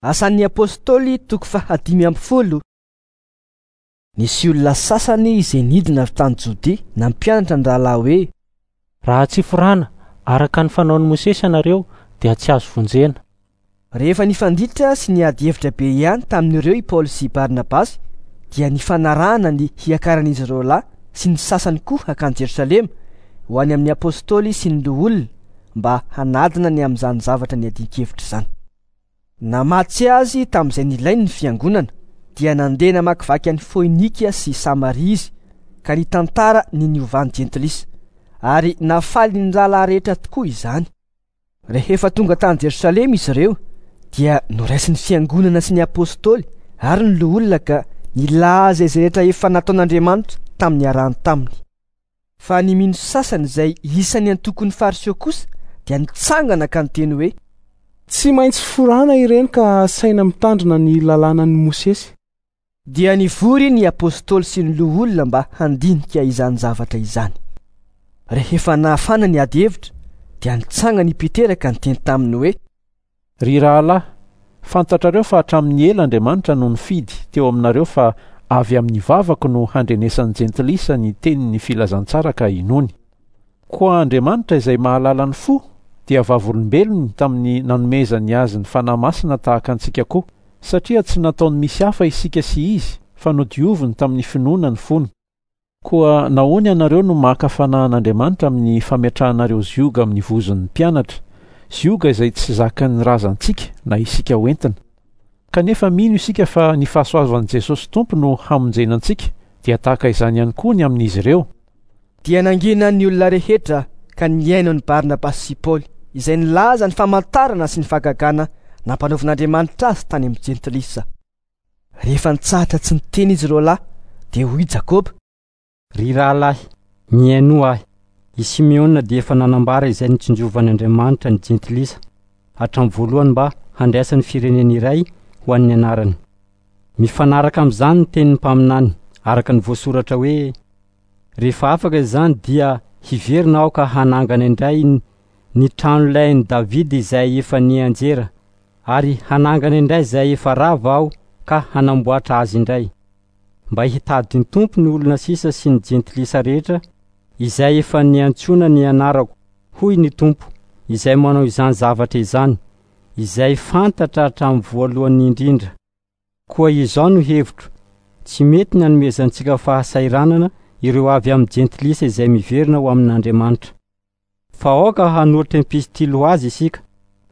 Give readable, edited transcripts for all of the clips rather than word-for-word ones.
Asan'ny Apostoly toko faha 15. Nisy olona sasany izay nidina avy tany Jodia nampianatra ny rahalahy hoe: Raha tsy forana araka ny fanaon'i Mosesy ianareo dia tsy azo vonjena. Rehefa nifanditra sy niady hevitra be ihany tamin'ireo i Paoly sy Barnabasy dia nifanarahana ny hiakaran'izy ireo lahy sy ny sasany koa hankany Jerosalema ho any amin'ny apostoly sy ny loholona mba hanadina ny amin'izany zavatra niadian-kevitra izany. Namatsy azy tamin'izay nilainy ny fiangonana, dia nandeha namakivaky an'i Foinika sy Samaria izy ka nitantara ny niovan'ny jentilisa, ary nafaly ny rahalahy rehetra tokoa izany. Rehefa tonga tany Jerosalema izy ireo, dia noraisin'ny fiangonana sy ny apostoly ary ny loholona ka nilaza izay rehetra efa nataon'Andriamanitra tamin'ny niarahany taminy. Fa ny mino sasany izay isan'ny antokon'ny Fariseo kosa dia nitsangana ka niteny hoe: Tsy maintsy forana ireny ka asaina mitandrina ny lalànan'i Mosesy. Dia nivory ny apostoly sy ny loholona mba handinika izany zavatra izany. Rehefa nahafana ny ady hevitra, dia nitsangana i Petera ka niteny taminy hoe: Ry rahalahy, fantatrareo fa hatramin'ny ela Andriamanitra no nifidy teo aminareo fa avy amin'ny vavako no handrenesan'ny jentilisa ny tenin'ny filazantsara ka hinoany. Koa Andriamanitra izay mahalala ny fo dia vavolombelony tamin'ny nanomezany azy ny Fanahy Masina tahaka antsika koa, satria tsy nataony misy hafa isika sy izy fa nodioviny tamin'ny finoana ny fony. Koa nahoana ianareo no maka fanahy an'Andriamanitra amin'ny fametrahanareo zioga amin'ny vozon'ny mpianatra, zioga izay tsy zakan'ny razantsika na isika hoentina? Kanefa mino isika fa ny fahasoavan'i Jesosy Tompo no hamonjena antsika, dia tahaka izany ihany koa ny amin'izy ireo. Dia nangina ny olona rehetra ka nihaino an'i Barnabasy sy Paoly, izay nilaza ny famantarana sy ny fahagagana nampanaovin'Andriamanitra azy tany amin'ny jentilisa. Rehefa nitsahatra tsy niteny izy ireo lahy, dia hoy Jakoba: Ry rahalahy, mihainoa ahy. I Simeona dia efa nanambara izay nitsinjovan'Andriamanitra ny jentilisa hatramin'ny voalohany mba handraisany firenena iray ho an'ny anarany. Mifanaraka amin'izany ny tenin'ny mpaminany, araka ny voasoratra hoe: Rehefa afaka izany dia hiverina aho ka hanangana indray ny tranolain'i Davida izay efa nianjera, ary hanangana indray izay efa rava aho ka hanamboatra azy indray, mba hitady ny Tompo ny olona sisa sy ny jentilisa rehetra izay efa niantsoana ny anarako, hoy ny Tompo, izay manao izany zavatra izany, izay fantatra hatramin'ny voalohany indrindra. Koa izao no hevitro, tsy mety ny hanomezantsika fahasahiranana ireo avy amin'ny jentilisa izay miverina ho amin'Andriamanitra. Fa aoka hanolotra epistily ho azy isika,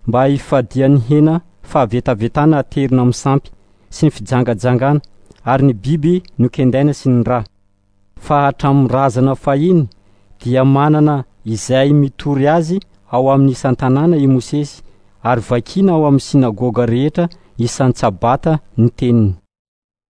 mba hifadian'ny hena fahavetavetana aterina amin'ny sampy sy ny fijangajangana ary ny biby nokendaina sy ny ra. Fa hatramin'ny razana fahiny dia manana izay mitory azy ao amin'ny isan-tanàna i Mosesy ary vakiana ao amin'ny synagoga rehetra isan-tsabata ny teniny.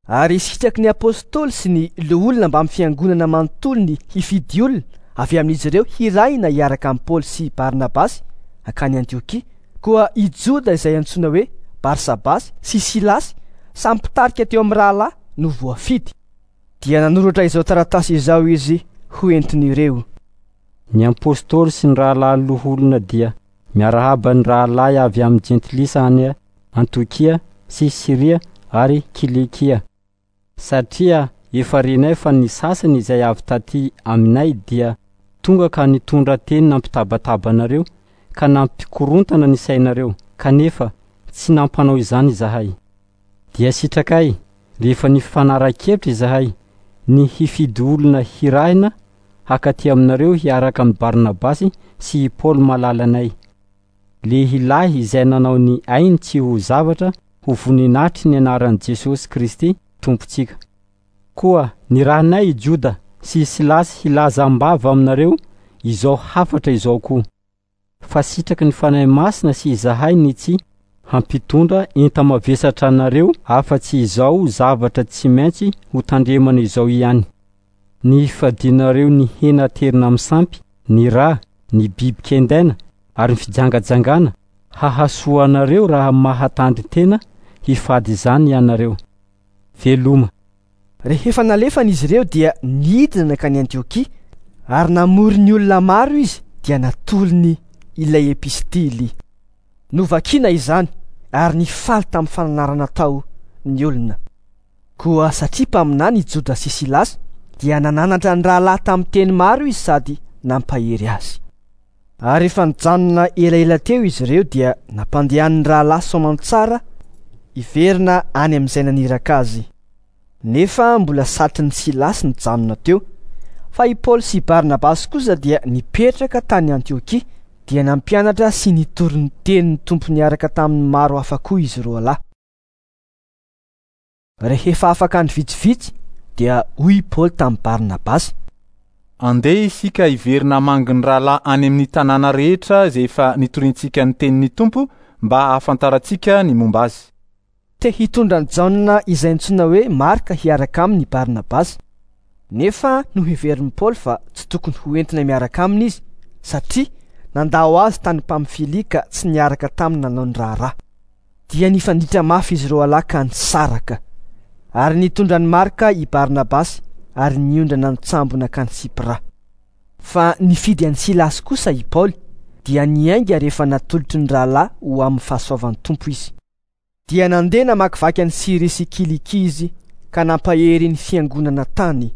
Ary sitraky ny apostoly sy ny loholona mbamin'ny fiangonana manontolo ny hifidy olona avy amin'izy ireo hirahina hiaraka amin'i Paoly sy Barnabasy hankany Antiokia. Koa i Joda izay antsoina hoe Barsabasy sy Silasy, samy mpitarika teo amin'ny rahalahy, no voafidy. Dia nanoratra izao taratasy izao izy ho entin'ireo. Ny apostoly sy ny rahalahy loholona dia miarahaba ny rahalahy avy amin'ny jentilisa any Antiokia sy Syria ary Kilikia, satria efa renay fa ny sasany izay avy taty aminay dia tonga ka nitondra teny nampitabataba anareo ka nampikorontana ny sainareo, kanefa tsy nampanao izany izahay. Dia sitrakay, rehefa nifanara-kevitra izahay, ny hifidy olona hirahina hakaty aminareo hiaraka amin'i Barnabasy sy i Paoly malalanay, lehilahy izay nanao ny ainy tsy ho zavatra ho voninahitry ny anaran'i Jesosy Kristy Tompontsika. Koa nirahinay i Joda sy i Silasy hilaza am-bava aminareo izao hafatra izao koa, fa sitraky ny Fanahy Masina sy izahay ny tsy hampitondra enta-mavesatra anareo afa-tsy izao zavatra tsy maintsy ho tandremana izao ihany, ny hifadianareo ny hena aterina amin'ny sampy, ny ra, ny biby kendaina ary ny fijangajangana, hahasoa anareo raha mahatandrin-tena hifady izany ianareo. Veloma. Rehefa nalefany izy ireo dia nidina nankany Antiokia, ary namory ny olona maro izy dia natolony ilay epistily. Novakina izany. Ary nifaly tamin'ny fananarana tao ny olona. Koa satria mpaminany i Joda sy Silasy, dia nananatra ny rahalahy tamin'ny teny maro izy sady nampahery azy. Ary rehefa nijanona elaela teo izy ireo dia nampandehanin'ny rahalahy soamantsara hiverina any amin'izay naniraka azy. Nefa mbola satrin'i Silasy nijanona teo, fa i Paoly sy Barnabasy kosa dia nipetraka tany Antiokia, dia nampianatra sy nitory ny tenin'ny Tompo niaraka tamin'ny maro hafa koa izy roalahy. Rehefa afaka andro vitsivitsy dia hoy i Paoly tamin'i Barnabasy: Andeha isika hiverina hamangy ny rahalahy any amin'ny tanàna rehetra izay efa nitoriantsika ny tenin'ny Tompo mba hahafantarantsika ny momba azy. Te hitondra an'i Jaona izay antsoina hoe Marka hiaraka aminy i Barnabasy. Nefa noheverin'i Paoly fa tsy tokony ho entina miaraka aminy izy, satria nandao azy tany Pamfilia ka tsy niaraka taminy nanao ny raharaha. Dia nifanditra mafy izy roalahy ka nisaraka. Ary nitondra an'i Marka i Barnabasy ary niondrana an-tsambo nankany Sipra. Fa nifidy an'i Silasy kosa i Paoly, dia niainga rehefa natolotry ny rahalahy ho amin'ny fahasoavan'ny Tompo izy. Dia nandeha namakivaky an'i Syria sy Kilikia izy ka nampahery ny fiangonana tany.